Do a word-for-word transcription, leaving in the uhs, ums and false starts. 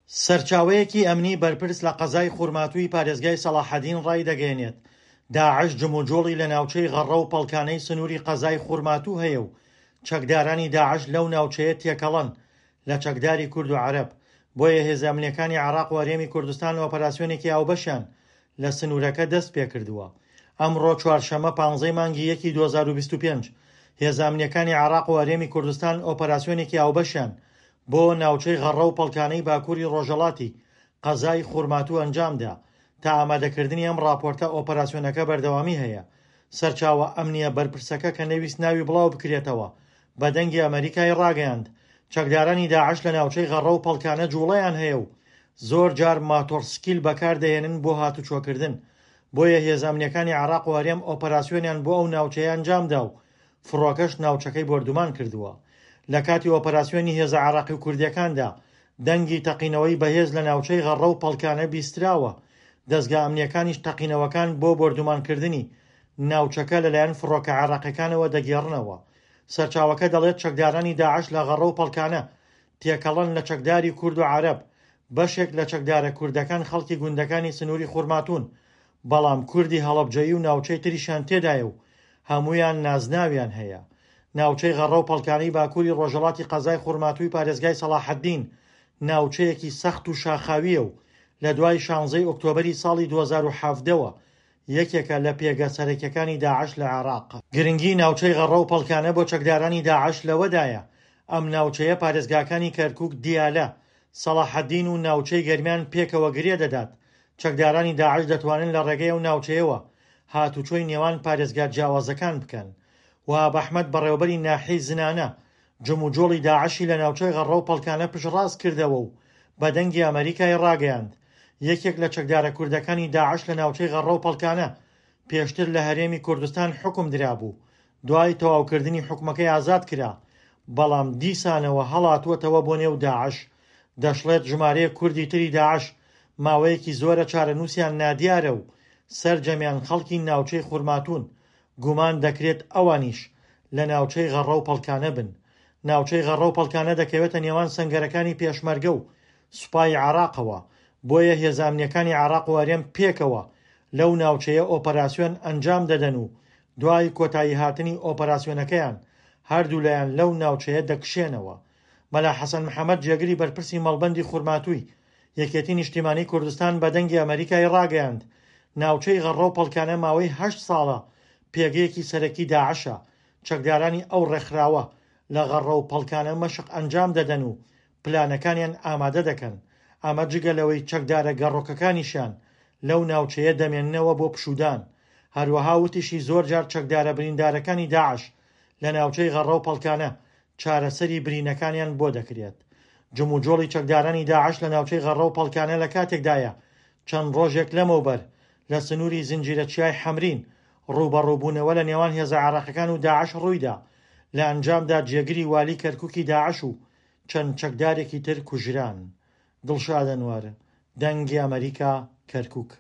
سەرچاوەیەکی ئەمنی بەرپرس لە قەزای خورماتووی پارێزگای سەڵاحەدین ڕایدەگەیەنێت، داعش جموجۆڵی لە ناوچەی غەڕە و پەڵکانەی سنووری قەزای خورماتوو هەیە و چەکدارانی داعش لەو ناوچەیە تێکەڵەن لە چەکداری کورد و عەرەب، بۆیە هێزە ئەمنییەکانی عێراق و هەرێمی کوردستان ئۆپەراسیۆنێکی هاوبەشیان لە سنوورەکە دەست پێکردووە. ئەمڕۆ چوارشەممە پانزەی مانگی یەکی دوو هەزار و بیست و پێنج هێزە ئەمنییەکانی عێراق و هەرێمی کوردستان ئۆپەراسیۆنێکی هاوبەشیان بۆ ناوچەی غەڕە و پەڵکانەی باکووری ڕۆژهەڵاتی قەزای خورماتوو ئەنجامدا. تا ئامادەکردنی ئەم ڕاپۆرتە ئۆپەراسیۆنەکە بەردەوامی هەیە. سەرچاوە ئەمنییە بەرپرسەکە کە نەویست ناوی بڵاو بکرێتەوە بە دەنگی ئەمەریکای ڕاگەیاند، چەکدارانی داعش لە ناوچەی غەڕە و پەڵکانە جوڵەیان هەیە و زۆر جار ماتۆڕسکیل بەکاردەهێنن بۆ هاتوچۆکردن، بۆیە هێزە ئەمنییەکانی عێراق و هەرێم ئۆپەراسیۆنیان بۆ ئەو ناوچەیە ئەنجامدا و فڕۆکەش ناوچەکەی بۆردومان کردووە. لە کاتی ئۆپەراسیۆنی هێزە عێراقی و کوردیەکاندا دەنگی تەقینەوەی بەهێز لە ناوچەی غەڕە و پەڵکانە بیستراوە. دەزگا ئەمنیەکانیش تەقینەوەکان بۆ بۆردومانکردنی ناوچەکە لەلایەن فڕۆکە عێراقیەکانەوە دەگێڕنەوە. سەرچاوەکە دەڵێت چەکدارانی داعش لە غەڕە و پەڵکانە تێکەڵەن لە چەکداری کورد و عەرەب. بەشێک لە چەکدارە کوردەکان خەڵکی گوندەکانی سنووری خورماتوون، بەڵام کوردی هەڵەبجەیی و ناوچەی تریشیان تێدایە و هەمویان نازناویان هەیە. ناوچەی غەڕە و پەڵکانەی باکووری ڕۆژهەڵاتی قەزای خورماتووی پارێزگای سەڵاحەدین ناوچەیەکی سەخت و شاخاویە و لە دوای شانزەی ئۆکتۆبەری ساڵی دوو هەزار و حەڤدە یەکێکە لە پێگە سەرەکیەکانی داعش لە عێراق. گرنگی ناوچەی غەڕە و پەڵکانە بۆ چەکدارانی داعش لەوەدایە ئەم ناوچەیە پارێزگاکانی کەرکوک، دیالە، سەڵاحەدین و ناوچەی گەرمیان پێکەوە گرێ دەدات. چەکدارانی داعش دەتوانن لە ڕێگەی ئەو ناوچەیەوە هاتوچۆی نێوان پارێزگا جیاوازەکان بکەن. وەهاب ئەحمەد بەڕێوەبەری ناحیەی زنانە جموجۆڵی داعشی لە ناوچەی غەڕە و پەڵکانە پشتڕاست کردەوە و بە دەنگی ئەمەریکای ڕاگەیاند یەکێک لە چەکدارە کوردەکانی داعش لە ناوچەی غەڕە و پەڵکانە پێشتر لە هەرێمی کوردستان حکم درابوو، دوای تەواوکردنی حکومەکەی ئازاد کرا، بەڵام دیسانەوە هەڵاتووەتەوە بۆ نێو داعش. دەشڵێت ژمارەیەک کوردی تری داعش ماوەیەکی زۆرە چارەنووسیان نادیارە و سەرجەمیان خەڵکی ناوچەی خورماتوون، گومان دەکرێت ئەوانیش لە ناوچەی غەڕە و پەڵکانە بن. ناوچەی غەڕە و پەڵکانە دەکەوێتە نێوان سەنگەرەکانی پێشمەرگە و سوپای عێراقەوە، بۆیە هێزە ئەمنیەکانی عێراق و هەرێم پێکەوە لەو ناوچەیە ئۆپەراسیۆن ئەنجام دەدەن و دوای کۆتایی هاتنی ئۆپەراسیۆنەکەیان هەردوو لایان لەو ناوچەیە دەکشێنەوە. مەلا حەسەن محەممەد جێگری بەرپرسی مەڵبەندی خورماتووی یەکێتی نیشتیمانی کوردستان بە دەنگی ئەمەریکای ڕاگەیاند ناوچەی غەڕە و پەڵکانە ماوەی هەشت ساڵە پێگەیەکی سەرەکی داعشە. چەکدارانی ئەو ڕێکخراوە لە غەڕە و پەڵکانە مەشق ئەنجام دەدەن و پلانەکانیان ئامادە دەکەن. ئەمە جگە لەوەی چەکدارە گەڕۆکەکانیشیان لەو ناوچەیە دەمێننەوە بۆ پشودان. هەروەها وتیشی زۆر جار چەکدارە بریندارەکانی داعش لە ناوچەی غەڕە و پەڵکانە چارەسەری برینەکانیان بۆ دەکرێت. جموجۆڵی چەکدارانی داعش لە ناوچەی غەڕە و پەڵکانە لە کاتێکدایە چەند ڕۆژێک لەمەوبەر لە سنووری زنجیرە چیای حەمرین ڕووبەڕووبوونەوە لە نێوان هێزە عێراقیەکان و داعش ڕوویدا. لە ئەنجامدا جێگری والی کەرکوکی داعش و چەند چەکدارێکی تر کوژران. دڵشاد ئەنوەر، دەنگی ئەمەریکا، کەرکوک.